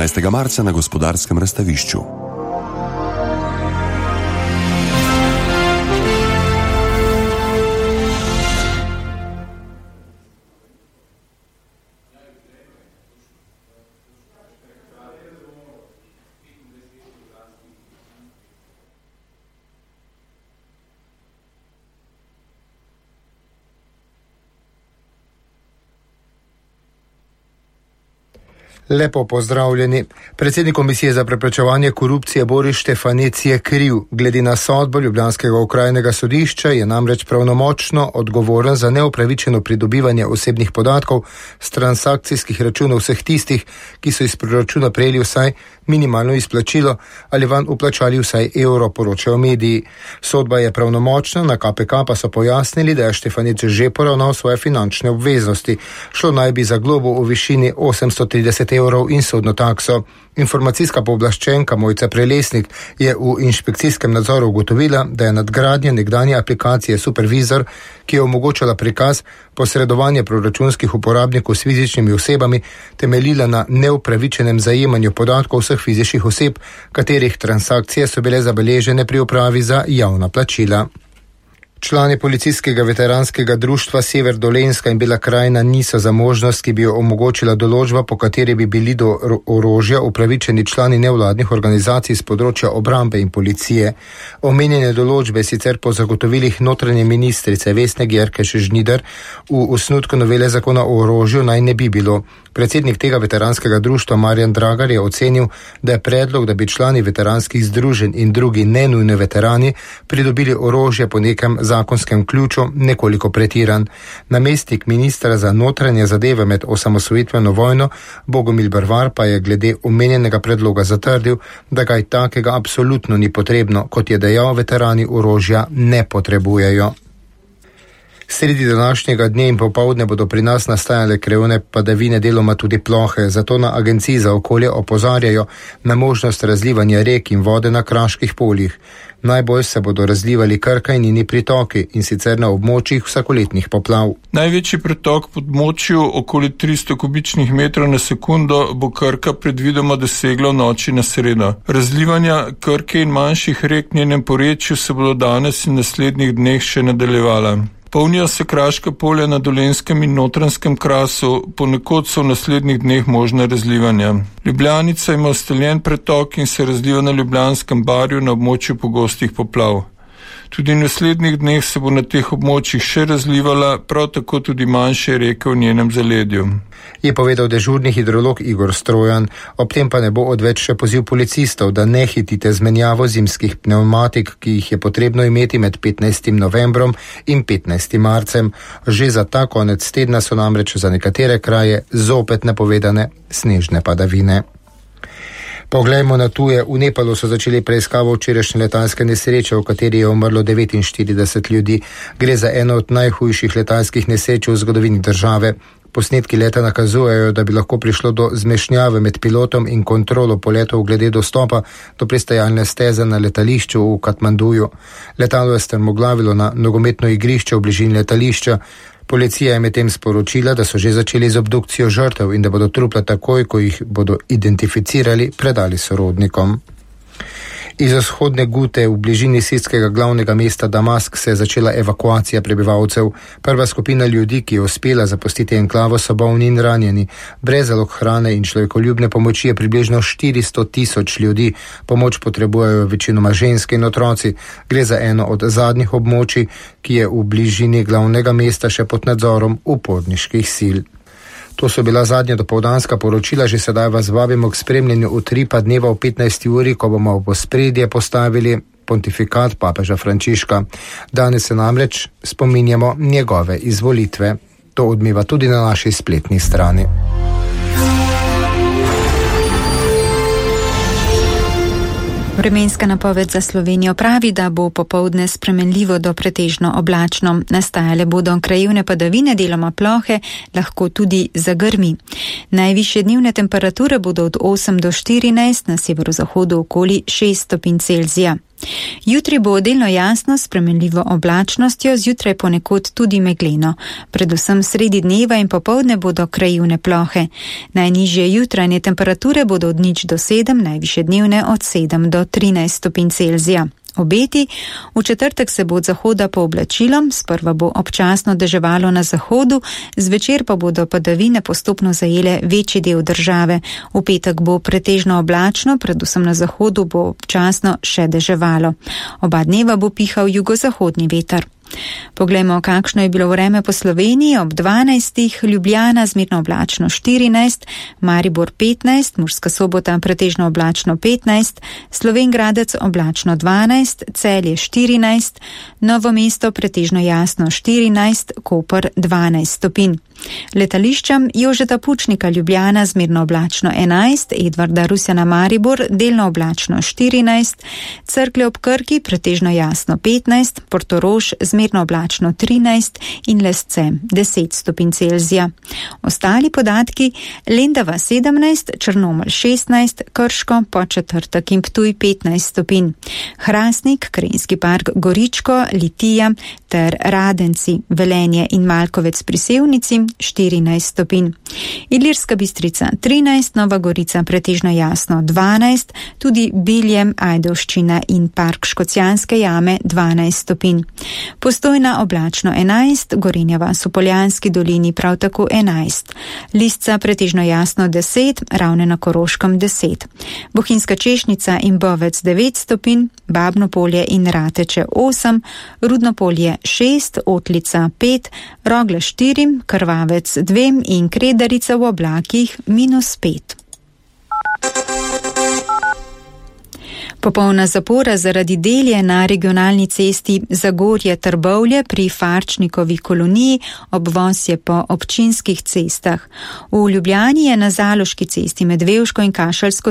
16. marca na Gospodarskem razstavišču. Lepo pozdravljeni. Predsednik Komisije za preprečevanje korupcije Boris Štefanec je kriv. Glede na sodbo ljubljanskega okrajnega sodišča je namreč pravnomočno odgovoren za neupravičeno pridobivanje osebnih podatkov s transakcijskih računov vseh tistih, ki so iz proračuna prejeli vsaj minimalno izplačilo ali van uplačali vsaj evro, poročajo mediji. Sodba je pravnomočna, na KPK pa so pojasnili, da je Štefanec že poravnal svoje finančne obveznosti. Šlo naj bi za globo v višini 830 evrov in sodno takso. Informacijska pooblaščenka Mojca Prelesnik je v inšpekcijskem nadzoru ugotovila, da je nadgradnja nekdanje aplikacije Supervizor, ki je omogočala prikaz posredovanja proračunskih uporabnikov s fizičnimi osebami, temeljila na neupravičenem zajemanju podatkov vseh fizičnih oseb, katerih transakcije so bile zabeležene pri upravi za javna plačila. Člani policijskega veteranskega društva Sever Dolenjska in Bela krajina niso za možnost, ki bi jo omogočila določba, po kateri bi bili do orožja upravičeni člani nevladnih organizacij z področja obrambe in policije. Omenjene določbe sicer po zagotovilih notranje ministrice Vesne Györkös Žnider v osnutku novele zakona o orožju naj ne bi bilo. Predsednik tega veteranskega društva Marjan Dragar je ocenil, da je predlog, da bi člani veteranskih združenj in drugi nenujni veterani pridobili orožje po nekem zakonskem ključu, nekoliko pretiran. Namestnik ministra za notranje zadeve med osamosvojitveno vojno Bogomil Brvar pa je glede omenjenega predloga zatrdil, da kaj takega absolutno ni potrebno, kot je dejal, veterani orožja ne potrebujejo. Sredi današnjega dne in popoldne bodo pri nas nastajale krajevne padavine, deloma tudi plohe, zato na Agenciji za okolje opozarjajo na možnost razlivanja rek in vode na kraških poljih. Najbolj se bodo razlivali Krka in njeni pritoki, in sicer na območjih vsakoletnih poplav. Največji pritok pod močju, okoli 300 kubičnih metrov na sekundo, bo Krka predvidoma dosegla v noči na sredo. Razlivanja Krke in manjših rek v njenem porečju se bodo danes in naslednjih dneh še nadaljevala. Polnijo se kraška polja na Dolenjskem in Notranjskem krasu, ponekod so v naslednjih dneh možne razlivanja. Ljubljanica ima ustaljen pretok in se razliva na Ljubljanskem barju na območju pogostih poplav. Tudi v naslednjih dneh se bo na teh območjih še razlivala, prav tako tudi manjše reke v njenem zaledju. Je povedal dežurni hidrolog Igor Strojan. Ob tem pa ne bo odveč še poziv policistov, da ne hitite z menjavo zimskih pnevmatik, ki jih je potrebno imeti med 15. novembrom in 15. marcem. Že za ta konec tedna so namreč za nekatere kraje zopet napovedane snežne padavine. Poglejmo na tuje. V Nepalu so začeli preiskavo včerajšnje letalske nesreče, v kateri je umrlo 49 ljudi. Gre za eno od najhujših letalskih nesreč v zgodovini države. Posnetki leta nakazujejo, da bi lahko prišlo do zmešnjave med pilotom in kontrolo poletov glede dostopa do pristajalne steze na letališču v Katmanduju. Letalo je strmoglavilo na nogometno igrišče v bližini letališča. Policija je medtem sporočila, da so že začeli z obdukcijo žrtev in da bodo trupla takoj, ko jih bodo identificirali, predali sorodnikom. Iz vzhodne Gute v bližini sirskega glavnega mesta Damask se je začela evakuacija prebivalcev. Prva skupina ljudi, ki je uspela zapustiti enklavo, so bolni in ranjeni. Brez zalog hrane in človekoljubne pomoči je približno 400,000 ljudi. Pomoč potrebujejo večinoma ženske in otroci. Gre za eno od zadnjih območij, ki je v bližini glavnega mesta še pod nadzorom uporniških sil. To so bila zadnja dopoldanska poročila, že sedaj vas vabimo k spremljanju utripa dneva v 15. uri, ko bomo v ospredje postavili pontifikat papeža Frančiška. Danes se namreč spominjamo njegove izvolitve. To odmeva tudi na naši spletni strani. Vremenska napoved za Slovenijo pravi, da bo popoldne spremenljivo do pretežno oblačno. Nastajale bodo krajevne padavine, deloma plohe, lahko tudi zagrmi. Najvišje dnevne temperature bodo od 8 do 14, na severozahodu okoli 6 stopinj Celzija. Jutri bo delno jasno s spremenljivo oblačnostjo, zjutraj ponekod tudi megleno. Predvsem sredi dneva in popoldne bodo krajevne plohe. Najnižje jutranje temperature bodo od 0 do 7, najvišje dnevne od 7 do 13 stopinj Celzija. Obeti, v četrtek se bo od zahoda pooblačilo, sprva bo občasno deževalo na zahodu, zvečer pa bodo padavine postopno zajele večji del države. V petek bo pretežno oblačno, predvsem na zahodu bo občasno še deževalo. Oba dneva bo pihal jugozahodni veter. Poglejmo, kakšno je bilo vreme po Sloveniji. Ob 12. Ljubljana zmerno oblačno 14, Maribor 15, Murska Sobota pretežno oblačno 15, Slovenj Gradec oblačno 12, Celje 14, Novo mesto pretežno jasno 14, Koper 12 stopinj. Letališča Jožeta Pučnika Ljubljana zmerno oblačno 11, Edvarda Rusjana Maribor delno oblačno 14, Cerklje ob Krki pretežno jasno 15, Portorož zmerno oblačno 13 in Lesce 10 stopinj Celzija. Ostali podatki: Lendava 17, Črnomelj 16, Krško, Podčetrtek in Ptuj 15 stopinj. Hrastnik, Krajinski park Goričko, Litija ter Radenci, Velenje in Malkovec pri Sevnici 14 stopinj. Ilirska Bistrica 13, Nova Gorica pretežno jasno 12, tudi Biljem, Ajdovščina in park Škocjanske jame 12 stopinj. Postojna oblačno 11, Gorenja vas v Poljanski dolini prav tako 11. Lisca pretežno jasno 10, Ravne na Koroškem 10. Bohinjska Češnica in Bovec 9 stopinj, Babno Polje in Rateče 8, Rudno Polje 6, Otlica 5, Rogle 4, Krvavec 2 in Kredarica v oblakih -5. Popolna zapora zaradi del je na regionalni cesti Zagorje-Trbovlje pri Farčnikovi koloniji, obvoz je po občinskih cestah. V Ljubljani je na Zaloški cesti med Vevško in Kašelsko